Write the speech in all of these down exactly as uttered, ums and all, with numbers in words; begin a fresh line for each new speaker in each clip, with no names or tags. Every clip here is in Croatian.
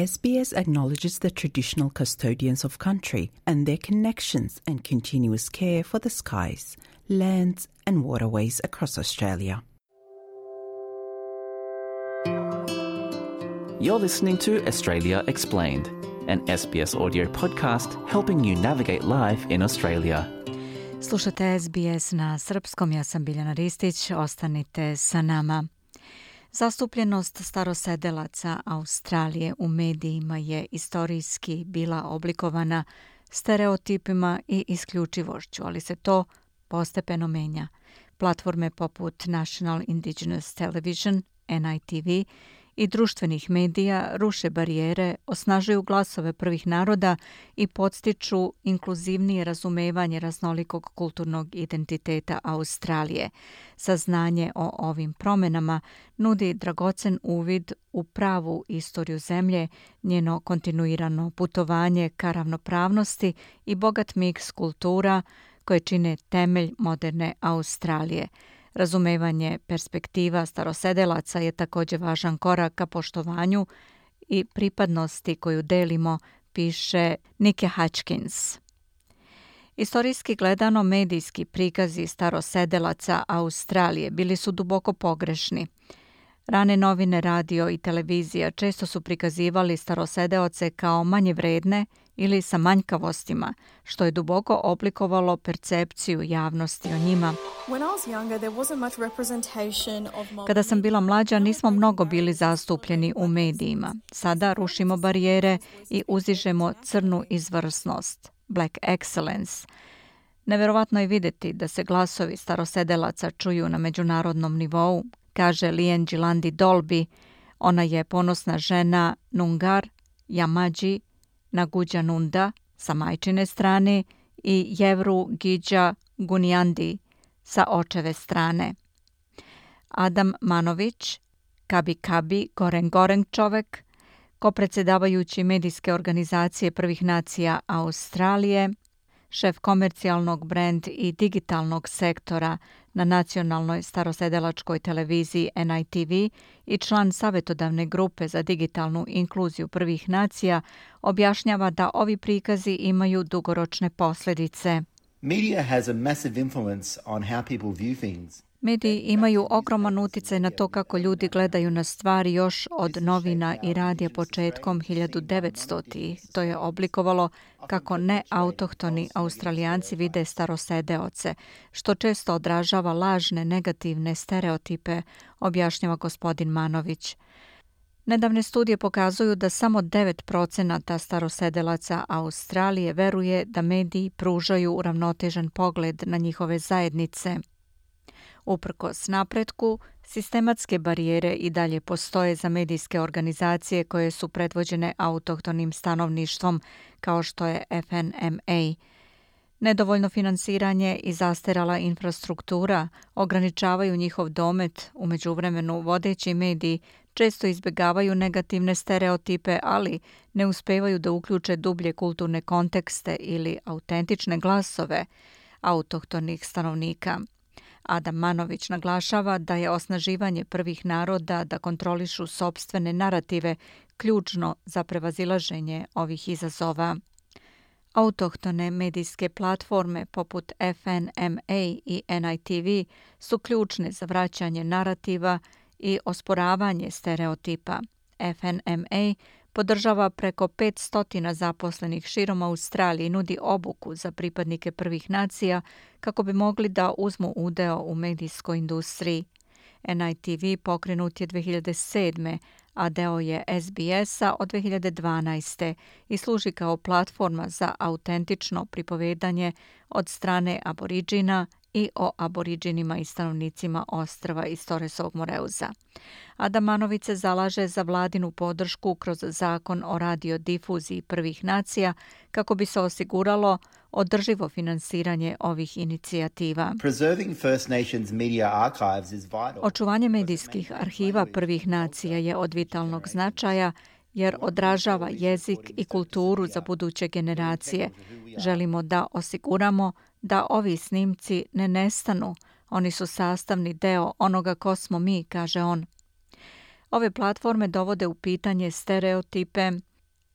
S B S acknowledges the traditional custodians of country and their connections and continuous care for the skies, lands and waterways across Australia.
You're listening to Australia Explained, an S B S audio podcast helping you navigate life in Australia.
Slušate S B S na srpskom, ja sam Biljana Ristić, ostanite sa nama. Zastupljenost starosedelaca Australije u medijima je istorijski bila oblikovana stereotipima i isključivošću, ali se to postepeno menja. Platforme poput National Indigenous Television, N I T V, i društvenih medija ruše barijere, osnažuju glasove prvih naroda i podstiču inkluzivnije razumevanje raznolikog kulturnog identiteta Australije. Saznanje o ovim promenama nudi dragocen uvid u pravu istoriju zemlje, njeno kontinuirano putovanje ka ravnopravnosti i bogat miks kultura koje čine temelj moderne Australije. Razumevanje perspektiva starosedelaca je također važan korak ka poštovanju i pripadnosti koju delimo, piše Nike Hutchins. Istorijski gledano, medijski prikazi starosedelaca Australije bili su duboko pogrešni. Rane novine, radio i televizija često su prikazivali starosedeoce kao manje vredne ili sa manjkavostima, što je duboko oblikovalo percepciju javnosti o njima. Kada sam bila mlađa, nismo mnogo bili zastupljeni u medijima. Sada rušimo barijere i uzižemo crnu izvrsnost, Black Excellence. Neverovatno je vidjeti da se glasovi starosedelaca čuju na međunarodnom nivou, kaže Lian Gilandi Dolby. Ona je ponosna žena Nungar, Yamadji, Naguđa Nunda sa majčine strane i Jevru Gidja Gunjandi sa očeve strane. Adam Manović, Kabi Kabi Goreng Goreng čovek, kopredsjedavajući medijske organizacije prvih nacija Australije, šef komercijalnog brand i digitalnog sektora na nacionalnoj starosedelačkoj televiziji N I T V i član savjetodavne grupe za digitalnu inkluziju prvih nacija, objašnjava da ovi prikazi imaju dugoročne posljedice.
Media has a massive influence on how people view things.
Mediji imaju ogroman utjecaj na to kako ljudi gledaju na stvari još od novina i radija početkom hiljadu devetstotih. To je oblikovalo kako neautohtoni Australijanci vide starosedeoce, što često odražava lažne negativne stereotipe, objašnjava gospodin Manović. Nedavne studije pokazuju da samo devet procenata starosedelaca Australije veruje da mediji pružaju uravnotežen pogled na njihove zajednice. Uprkos napretku, sistematske barijere i dalje postoje za medijske organizacije koje su predvođene autohtonim stanovništvom, kao što je F N M A. Nedovoljno finansiranje i zastarjela infrastruktura ograničavaju njihov domet. U međuvremenu vodeći mediji često izbjegavaju negativne stereotipe, ali ne uspevaju da uključe dublje kulturne kontekste ili autentične glasove autohtonih stanovnika. Adam Manović naglašava da je osnaživanje prvih naroda da kontrolišu sopstvene narative ključno za prevazilaženje ovih izazova. Autohtone medijske platforme poput F N M A i N I T V su ključne za vraćanje narativa i osporavanje stereotipa. F N M A podržava preko petsto zaposlenih širom Australije i nudi obuku za pripadnike prvih nacija kako bi mogli da uzmu udeo u medijskoj industriji. N I T V pokrenut je dve hiljade sedme, a deo je S B S-a od dve hiljade dvanaeste i služi kao platforma za autentično pripovedanje od strane aboriđina i o aboriđinima i stanovnicima ostrva iz Torresovog Moreuza. Adam Manović se zalaže za vladinu podršku kroz zakon o radiodifuziji prvih nacija kako bi se osiguralo održivo finansiranje ovih inicijativa. Očuvanje medijskih arhiva prvih nacija je od vitalnog značaja jer odražava jezik i kulturu za buduće generacije. Želimo da osiguramo da ovi snimci ne nestanu. Oni su sastavni deo onoga ko smo mi, kaže on. Ove platforme dovode u pitanje stereotipe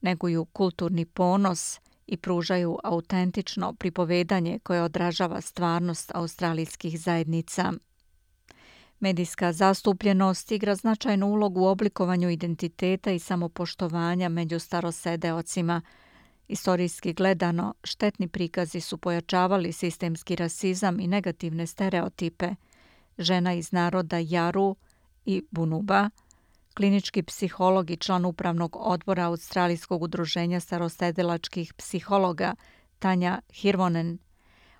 neguju kulturni ponos i pružaju autentično pripovedanje koje odražava stvarnost australijskih zajednica. Medijska zastupljenost igra značajnu ulogu u oblikovanju identiteta i samopoštovanja među starosedeocima. Istorijski gledano, štetni prikazi su pojačavali sistemski rasizam i negativne stereotipe. Žena iz naroda Jaru i Bunuba, klinički psiholog i član upravnog odbora Australijskog udruženja starosedelačkih psihologa Tanja Hirvonen,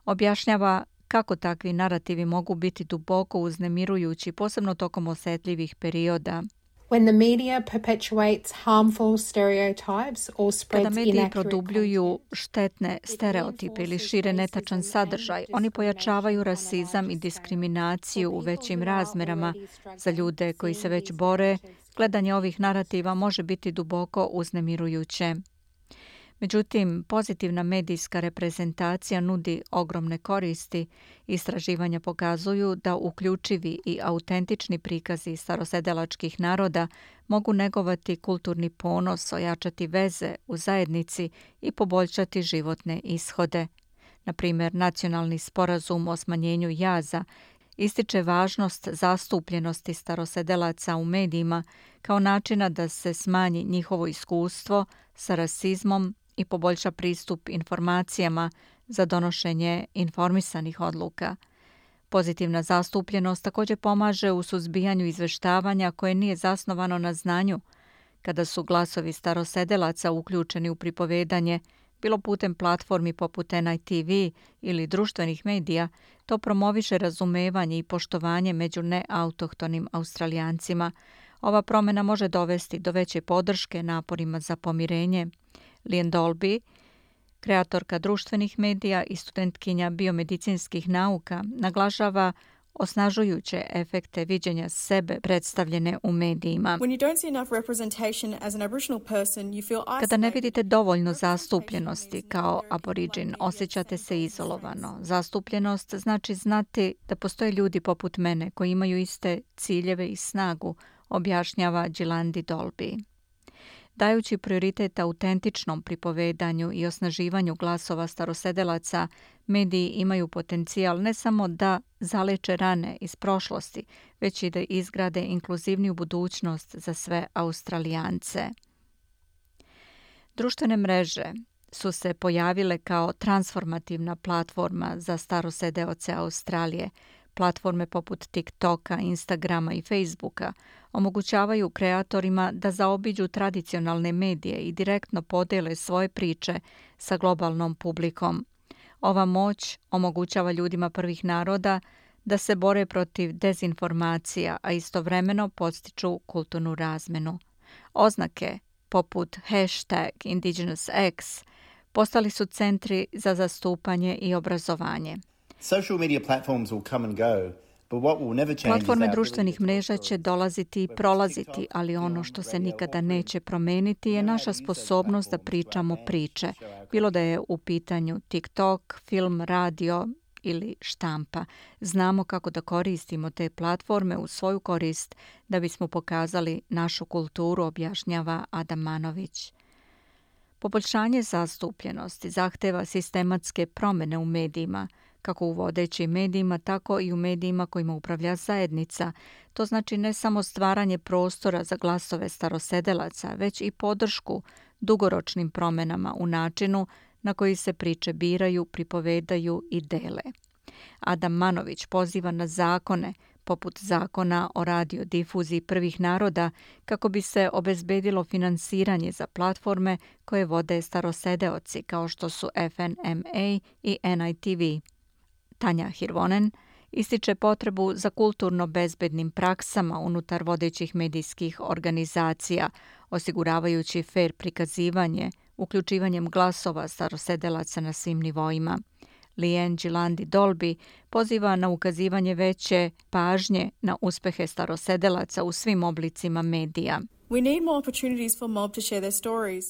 objašnjava kako takvi narativi mogu biti duboko uznemirujući, posebno tokom osjetljivih perioda.
When the media perpetuates harmful stereotypes or spreads
Kada mediji
inaccurate
produbljuju štetne stereotipe ili šire netačan sadržaj, oni pojačavaju rasizam i diskriminaciju u većim razmerama. Za ljude koji se već bore, gledanje ovih narativa može biti duboko uznemirujuće. Međutim, pozitivna medijska reprezentacija nudi ogromne koristi. Istraživanja pokazuju da uključivi i autentični prikazi starosedelačkih naroda mogu negovati kulturni ponos, ojačati veze u zajednici i poboljšati životne ishode. Na primjer, Nacionalni sporazum o smanjenju jaza ističe važnost zastupljenosti starosedelaca u medijima kao načina da se smanji njihovo iskustvo sa rasizmom i poboljša pristup informacijama za donošenje informisanih odluka. Pozitivna zastupljenost također pomaže u suzbijanju izveštavanja koje nije zasnovano na znanju. Kada su glasovi starosedelaca uključeni u pripovedanje, bilo putem platformi poput N I T V ili društvenih medija, to promoviše razumevanje i poštovanje među neautohtonim Australijancima. Ova promjena može dovesti do veće podrške naporima za pomirenje. Lian Dolby, kreatorka društvenih medija i studentkinja biomedicinskih nauka, naglašava osnažujuće efekte viđenja sebe predstavljene u medijima. Kada ne vidite dovoljno zastupljenosti kao aboriđin, osjećate se izolovano. Zastupljenost znači znati da postoje ljudi poput mene koji imaju iste ciljeve i snagu, objašnjava Gilandi Dolby. Dajući prioritet autentičnom pripovedanju i osnaživanju glasova starosedelaca, mediji imaju potencijal ne samo da zaleče rane iz prošlosti, već i da izgrade inkluzivniju budućnost za sve Australijance. Društvene mreže su se pojavile kao transformativna platforma za starosedeoce Australije. Platforme poput TikToka, Instagrama i Facebooka omogućavaju kreatorima da zaobiđu tradicionalne medije i direktno podele svoje priče sa globalnom publikom. Ova moć omogućava ljudima prvih naroda da se bore protiv dezinformacija, a istovremeno podstiču kulturnu razmenu. Oznake poput hashtag IndigenousX postali su centri za zastupanje i obrazovanje.
Social media platforms will come and go, but what will never change is
Platforme
our
društvenih
ability to
mreža
tell
će dolaziti i prolaziti, ali ono što se nikada neće promeniti je naša sposobnost da pričamo priče, bilo da je u pitanju TikTok, film, radio ili štampa. Znamo kako da koristimo te platforme u svoju korist da bismo pokazali našu kulturu, objašnjava Adam Manović. Poboljšanje zastupljenosti zahteva sistematske promjene u medijima, kako u vodećim medijima, tako i u medijima kojima upravlja zajednica. To znači ne samo stvaranje prostora za glasove starosedelaca, već i podršku dugoročnim promjenama u načinu na koji se priče biraju, pripovedaju i dele. Adam Manović poziva na zakone, poput zakona o radiodifuziji prvih naroda, kako bi se obezbedilo finansiranje za platforme koje vode starosedeoci, kao što su F N M A i N I T V. Tanja Hirvonen ističe potrebu za kulturno bezbednim praksama unutar vodećih medijskih organizacija, osiguravajući fer prikazivanje, uključivanjem glasova starosedelaca na svim nivoima. Lian Gilandi Dolby poziva na ukazivanje veće pažnje na uspehe starosedelaca u svim oblicima medija.
We need more opportunities for mob to share their stories.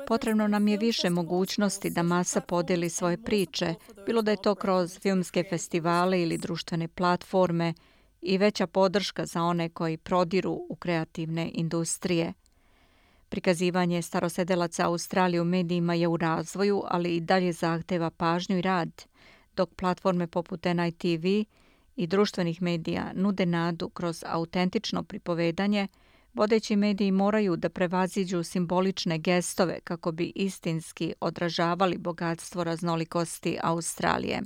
Potrebno nam je više mogućnosti da masa podeli svoje priče, bilo da je to kroz filmske festivale ili društvene platforme, i veća podrška za one koji prodiru u kreativne industrije. Prikazivanje starosedelaca Australije u medijima je u razvoju, ali i dalje zahteva pažnju i rad, dok platforme poput N I T V i društvenih medija nude nadu kroz autentično pripovedanje, vodeći mediji moraju da prevaziđu simbolične gestove kako bi istinski odražavali bogatstvo raznolikosti Australije.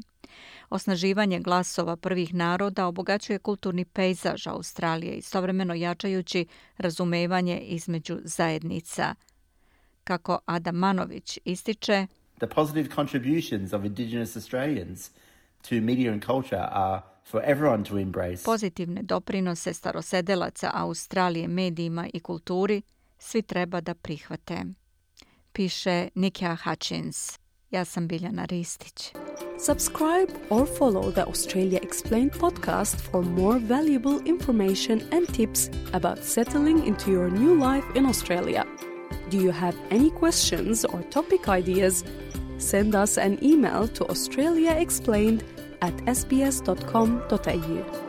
Osnaživanje glasova prvih naroda obogaćuje kulturni pejzaž Australije, istovremeno jačajući razumevanje između zajednica. Kako Adam Manović ističe,
The positive contributions of Indigenous Australians to media and culture are for everyone to embrace.
Pozitivne doprinose starosedelaca Australije medijima i kulturi svi treba da prihvate. Piše Nikia Hutchins. Ja sam Biljana Ristić.
Subscribe or follow the Australia Explained podcast for more valuable information and tips about settling into your new life in Australia. Do you have any questions or topic ideas? Send us an email to australiaexplained at s b s dot com dot a u.